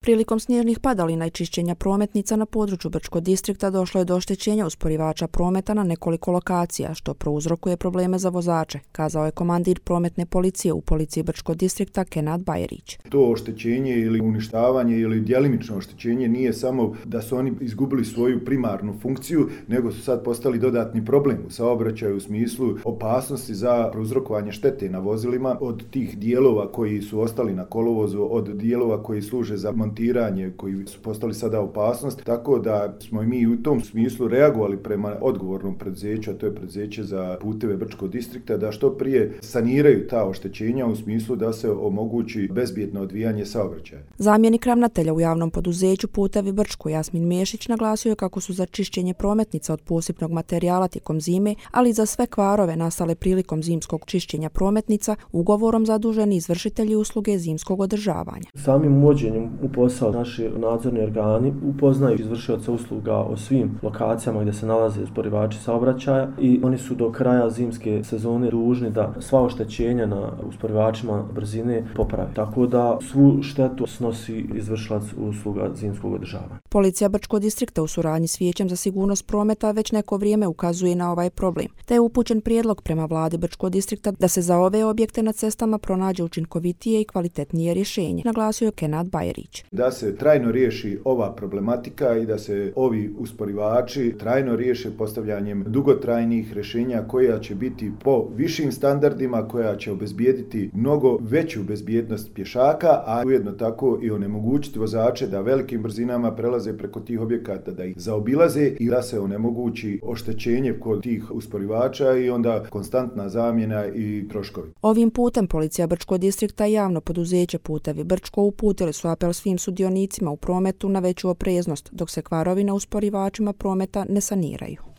Prilikom snježnih padalina i čišćenja prometnica na području Brčkog distrikta došlo je do oštećenja usporivača prometa na nekoliko lokacija, što prouzrokuje probleme za vozače, kazao je komandir prometne policije u policiji Brčkog distrikta Kenad Bajerić. To oštećenje ili uništavanje ili djelimično oštećenje nije samo da su oni izgubili svoju primarnu funkciju, nego su sad postali dodatni problem u saobraćaju u smislu opasnosti za prouzrokovanje štete na vozilima od tih dijelova koji su ostali na kolovozu, od dijelova koji služe za montiranje, koji su postali sada opasnost, tako da smo mi u tom smislu reagovali prema odgovornom preduzeću, a to je preduzeće za puteve Brčkog distrikta, da što prije saniraju ta oštećenja u smislu da se omogući bezbjedno odvijanje saobraćaja. Zamjenik ravnatelja u javnom poduzeću Putevi Brčko Jasmin Mešić naglasio je kako su za čišćenje prometnica od posipnog materijala tijekom zime, ali i za sve kvarove nastale prilikom zimskog čišćenja prometnica ugovorom zaduženi izvršitelji usluge zimskog održavanja. Samim uvođenjem u posao naši nadzorni organi upoznaju izvršioca usluga o svim lokacijama gdje se nalaze usporivači saobraćaja i oni su do kraja zimske sezone dužni da sva oštećenja na usporivačima brzine popravi. Tako da svu štetu snosi izvršilac usluga zimskog održavanja. Policija Brčkog distrikta u suradnji s Vijećem za sigurnost prometa već neko vrijeme ukazuje na ovaj problem, te je upućen prijedlog prema vladi Brčkog distrikta da se za ove objekte na cestama pronađe učinkovitije i kvalitetnije rješenje, naglasio je Kenad Bajerić. Da se trajno riješi ova problematika i da se ovi usporivači trajno riješe postavljanjem dugotrajnih rješenja koja će biti po višim standardima, koja će obezbijediti mnogo veću bezbjednost pješaka, a ujedno tako i onemogućiti vozače da velikim brzinama prelaze preko tih objekata, da ih zaobilaze i da se onemogući oštećenje kod tih usporivača i onda konstantna zamjena i troškovi. Ovim putem policija Brčkog distrikta i javno poduzeće Putevi Brčko uputili su apel svim sudionicima u prometu na veću opreznost, dok se kvarovi na usporivačima prometa ne saniraju.